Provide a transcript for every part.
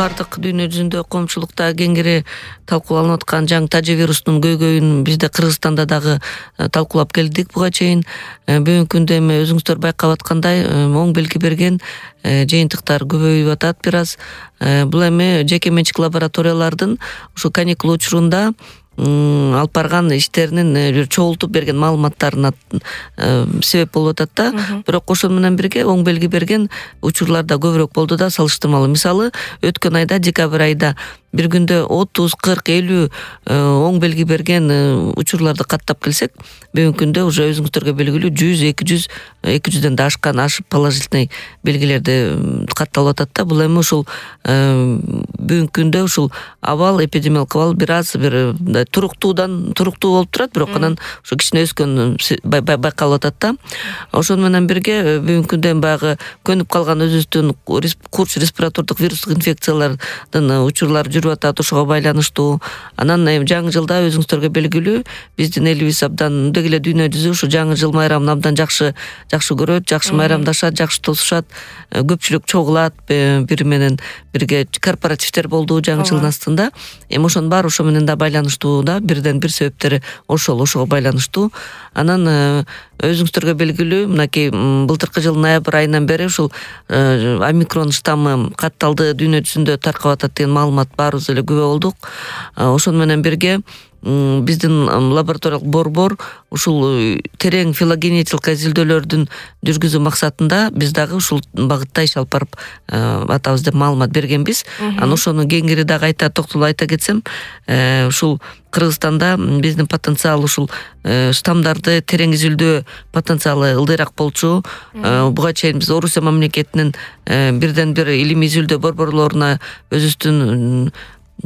бардык дүйнө жүзүндө коомчулукта кеңири талкууланып аткан жаңы тажы вирустунун көйгөйүн бизде Кыргызстанда дагы талкуулап келдик буга чейин. Бүгүнкү күндө эми өзүңүздөр байкап аткандай оң белги берген жыйынтыктар көбөйүп атат бир аз. Бул эми жеке менчик лабораториялардын ушу каникул учурунда алып барган иштеринин чогултуп берген маалыматтарына себеп болуп атат да. Бирок ошону менен бирге оң белги берген учурлар да көбүрөөк болду да салыштырмалуу. Мисалы, өткөн айда декабрь айда бир күндө 30, 40, 50 оң белги берген учурларды каттап келсек, бүгүнкү күндө уже өзүңүздөргө белгилүү 100, 200ден да ашып положительный белгилерди катталып атат да. Бул эми ушул бүгүнкү күндө ушул абал, эпидемиологик абал бир аз бир туруктуу болуп турат, бирок анан ушу кичине өскөн байкалып атат да. Ошону менен бирге бүгүнкү күндө баягы көнүп калган өзүбүздүн курч респиратордук вирустук инфекциялардын учурлары жүрүп атат, ошого байланыштуу. Анан жаңы жылда өзүңүздөргө белгилүү биздин элибиз абдан деги эле дүйнө жүзү ушу жаңы жыл майрамын абдан жакшы көрөт, жакшы майрамдашат, жакшы тосушат, көпчүлүк чогулат, бири менен бирге корпоративдер болду жаңы жылдын астында. Эми ошонун баары ошо менен да байланыштуу да, бирден бир себептери ошого байланыштуу. Анан өзүңүздөргө белгилүү, мынакей былтыркы жылдын ноябрь айынан бери ушул омикрон штаммы катталды, дүйнө жүзүндө таркап атат деген маалымат баарыбыз эле күбө болдук. Ошону менен бирге биздин лабораториялык борбор ушул терең филогенетикалык изилдөөлөрдүн жүргүзүү максатында биз дагы ушул багытта иш алып барып атабыз деп маалымат бергенбиз. Анан ошону кеңири дагы токтолуп айта кетсем, ушул Кыргызстанда биздин потенциал ушул штаммдарды терең изилдөө потенциалы ылдыйраак болчу. Буга чейин биз Орусия мамлекетинин бирден бир илимий изилдөө борборлоруна өзүбүздүн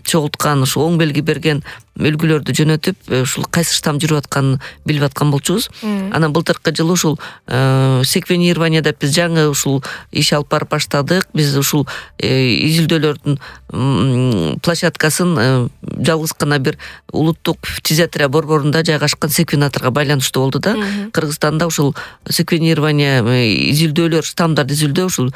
чогулткан ушу оң белги берген үлгүлөрдү жөнөтүп, ушул кайсы штамм жүрүп атканын билип аткан болчубуз. Анан былтыркы жылы ушул секвенирование деп биз жаңы ушул иш алып барып баштадык. Биз ушул изилдөөлөрдүн площадкасын жалгыз гана бир улуттук фтизиатрия борборунда жайгашкан секвенаторго байланыштуу болду да. Кыргызстанда ушул секвенирование изилдөөлөр, штаммдарды изилдөө ушул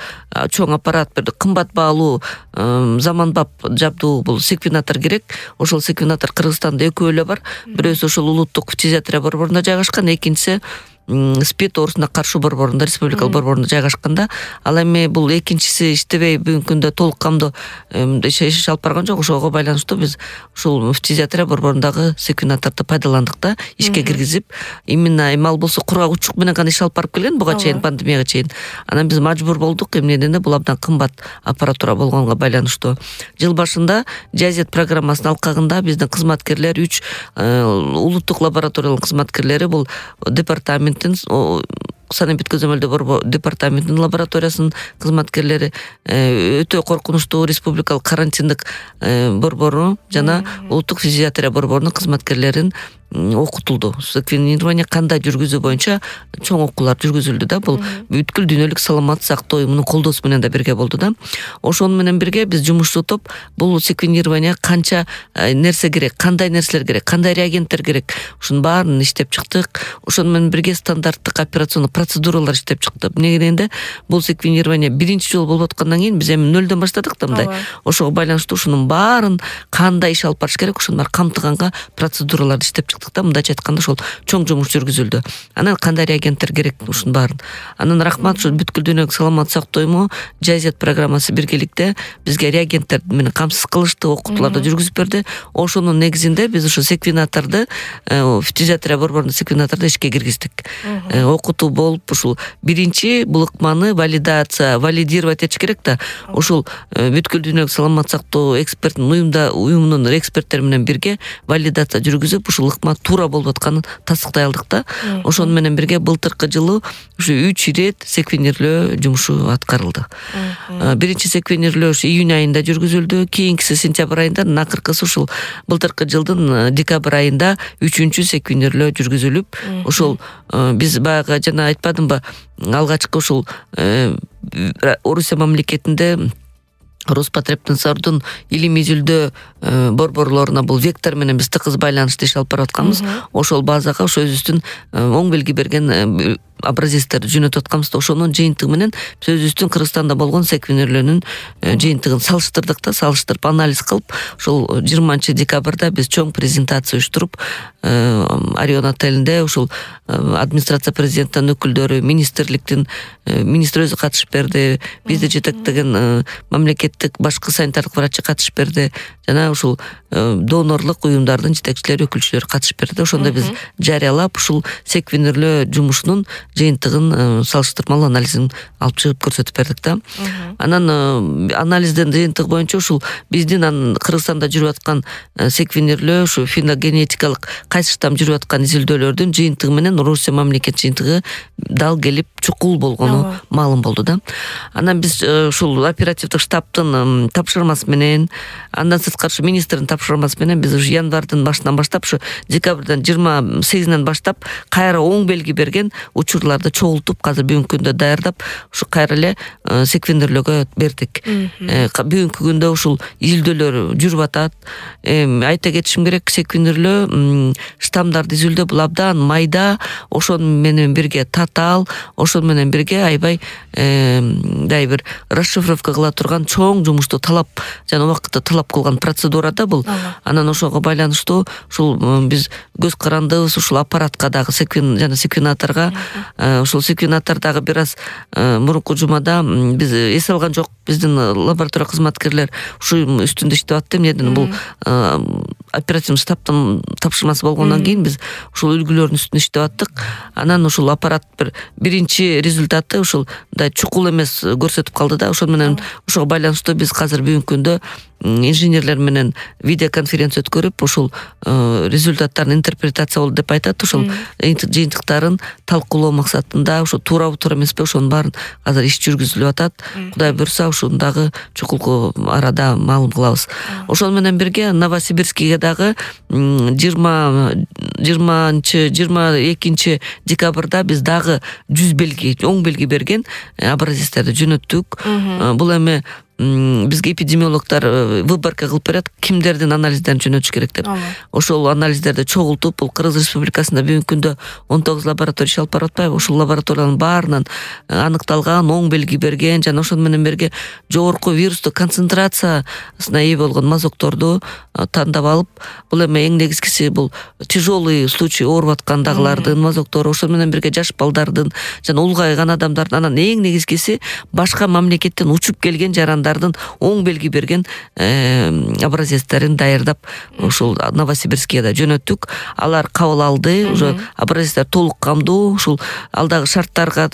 чоң аппарат, бир кымбат баалуу заманбап жабдуу бул секвенатор керек. Ошол секвенатор Кыргызстанда экөө эле бар. Бирөөсү ошол улуттук фтизиатрия борборунда жайгашкан, экинчиси СПИД оорусуна каршы борборунда, республикалык борборунда жайгашканда. Ал эми бул экинчиси иштебей бүгүнкү күндө толук камдуу иш алып барган жок. Ошого байланыштуу биз ушул фтизиатрия борборундагы секвенаторду пайдаландык да, ишке киргизип, именно эми ал болсо кургак учук менен гана иш алып барып келген буга чейин, пандемияга чейин. Анан биз мажбур болдук, эмнеден бул абдан кымбат аппаратура болгонго байланыштуу. Жыл башында Жазет программасынын алкагында биздин кызматкерлер 3 улуттук лабораториялык кызматкерлери бул департамент санэпид көзөмөлдөө департаментинин лабораториясынын кызматкерлери, өтө коркунучтуу республикалык карантиндик борбору жана улуттук фтизиатрия борборунун кызматкерлерин окутулду. Секвенирование кандай жүргүзүү боюнча чоң окуулар жүргүзүлдү да. Бул бүткүл дүйнөлүк саламаттык сактоо уюмунун колдоосу менен да бирге болду да. Ошону менен бирге биз жумушчу топ бул секвенирование канча нерсе керек, кандай нерселер керек, кандай реагенттер керек, ушунун баарын иштеп чыктык. Ошону менен бирге стандарттык операционный процедуралар иштеп чыкты. Эмне дегенде бул секвенирование биринчи жолу болуп аткандан кийин биз эми нөлдөн баштадык да мындай. Ошого байланыштуу ушунун баарын кандай иш алып барыш керек, ошонун баарын камтыганга процедураларды иштеп чыктык да. Мындайча айтканда ошол чоң жумуш жүргүзүлдү. Анан кандай реагенттер керек, ушунун баарын. Анан рахмат ушу бүткүл дүйнөлүк саламаттык сактоо уюму Жазет программасы биргеликте бизге реагенттер менен камсыз кылышты, окутууларды жүргүзүп берди. Ошонун негизинде биз ушу секвенаторду фтизиатрия борборунун секвенаторду ишке киргиздик. Окутуу болуп ушул биринчи бул ыкманы валидировать этиш керек да. Ушул бүткүл дүйнөлүк саламаттык сактоо уюмунун эксперттери менен бирге валидация жүргүзүп, ушул ыкма туура болуп атканын тастыктай алдык да. Ошону менен бирге былтыркы жылы ушу 3 ирет секвенирование жумушу аткарылды. Биринчи секвенирование июнь айында жүргүзүлдү, кийинкиси сентябрь айында, акыркысы ушул былтыркы жылдын декабрь айында 3-чү секвенирование жүргүзүлүп, ошол биз баягы жана айтпадымбы, алгачкы ушул Орусия мамлекетинде Роспотребнадзордун илимий изилдөө борборлоруна бул вектор менен биз тыгыз байланышты иш алып барып атканбыз. Ошол базага ошо өзүбүздүн оң белги берген образецтерди жөнөтүп атканбыз да, ошонун жыйынтыгы менен биз өзүбүздүн Кыргызстанда болгон секвенерлөөнүн жыйынтыгын салыштырдык да, салыштырып анализ кылып, ошол 20-декабрда биз чоң презентация уюштуруп, Орион отелинде ушул администрация президенттин өкүлдөрү, министр өзү катышып берди, бизди жетектеген мамлекеттик башкы санитардык врачы катышып берди, жана ушул донорлук уюмдардын жетекчилери, өкүлчүлөрү катышып берди. Ошондо биз жарыялап ушул секвенерлөө жумушунун жыйынтыгын салыштырмалуу анализин алып чыгып көрсөтүп бердик да. Анан анализдин жыйынтыгы боюнча ушул биздин Кыргызстанда жүрүп аткан секвенерлөө, ушу феногенетикалык кайсы штамм жүрүп аткан изилдөөлөрдүн жыйынтыгы менен Орусия мамлекет жыйынтыгы дал келип чукул болгону маалым болду да. Анан биз ушул оперативдик штабтын тапшырмасы менен, андан сырткары министрдин тапшырмасы менен биз ушу январдын башынан баштап, ушу декабрдын 28-нен баштап кайра оң белги берген учурларды чогултуп, азыр бүгүнкү күндө даярдап, ушу кайра эле секвенерлөөгө бердик. Бүгүнкү күндө ушул изилдөөлөр жүрүп атат. Айта кетишим керек, секвенерлөө штаммдарды изилдөө бул абдан майда, ошону менен бирге татаал, ошону менен бирге аябай бир расшифровка кыла турган чоң жумушту талап жана убакытты талап кылган процедура да бул. Анан ошого байланыштуу ушул биз көз карандыбыз ушул аппаратка дагы жана секвенаторго, ушул секвенатор дагы бир аз мурунку жумада биз эс алган жок, биздин лаборатория кызматкерлер ушу үстүндө иштеп атты. Эмнеден бул оперативный штабтын тапшырмасы болгондон кийин биз ушул үлгүлөрдүн үстүндө иштеп аттык. Анан ушул аппарат биринчи результаты ушул чукул эмес көрсөтүп калды да. Ошол менен ошого байланыштуу биз азыр бүгүнкү күндө инженерлер менен видеоконференция өткөрүп, ушул результаттарын интерпретация болду деп айтат. Ушул жыйынтыктарын талкуулоо максатында ушу туурабы туура эмеспи, ошонун баарын азыр иш жүргүзүлүп атат. Кудай буйруса ушундагы чукулку арада маалым кылабыз. Ошол менен бирге Новосибирскиге дагы 22 декабрда биз дагы 100 белги, оң белги берген образецтерди жөнөттүк. Бул эми бизге эпидемиологдор выборка кылып берет, кимдердин анализдерин жөнөтүш керек деп. Ошол анализдерди чогултуп, бул Кыргыз Республикасында бүгүнкү күндө 19 лаборатория иш алып барып атпайбы? Ушул лабораториянын баарынан аныкталган, оң белги берген жана ошону менен бирге жогорку вирустук концентрациясына ээ болгон мазокторду тандап алып, бул эми эң негизгиси бул тяжелый случай ооруп аткандагылардын мазоктору, ошону менен бирге жаш балдардын жана улгайган адамдардын, анан эң негизгиси башка мамлекеттен учуп келген жарандардын оң белги берген образецтерин даярдап ушул Новосибирскиге да жөнөттүк. Алар кабыл алды, уже образецтер толук камдуу, ушул алдагы шарттарга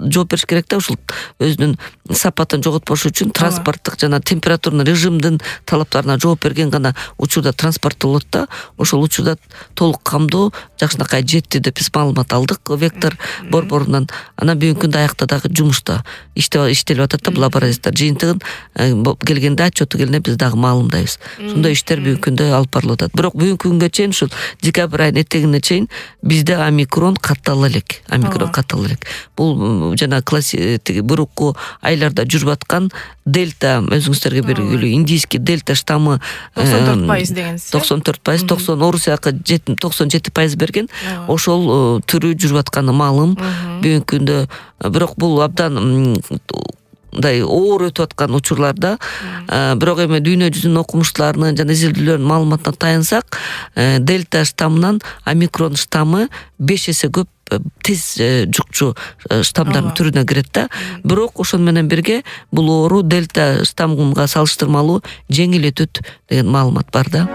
жооп бериш керек да, ушул өзүнүн сапатын жоготпош үчүн транспорттук жана температурный режимдин талаптарына жооп берген гана учурда транспорттолот да. Ошол учурда толук камдуу, жакшынакай жетти деп биз маалымат алдык вектор борборунан. Анан бүгүнкү күндө аякта дагы жумушта иштелип атат да бул образецтер. Жыйынтыгын келгенде, отчету келгенде биз дагы маалымдайбыз. Ошондой иштер бүгүнкү күндө алып барылып атат. Бирок бүгүнкү күнгө чейин ушул декабрь айынын этегине чейин бизде омикрон каттала элек. Бул жана классик бурукку айларда жүрүп аткан дельта, өзүңүздөргө белгилүү индийский дельта штаммы 94% дегенсиз. 94%, 90 Орусияга 97% берген. Ошол түрү жүрүп атканы маалым бүгүнкү күндө. Бирок бул абдан оор өтүп аткан учурларда, бирок эми дүйнө жүзүнүн окумуштууларынын жана изилдөөлөрдүн маалыматына таянсак, дельта штаммынан омикрон штаммы 5 эсе көп тез жукчу штаммдардын түрүнө кирет да. Бирок ошону менен бирге бул оору дельта штаммга салыштырмалуу жеңил өтөт деген маалымат бар да.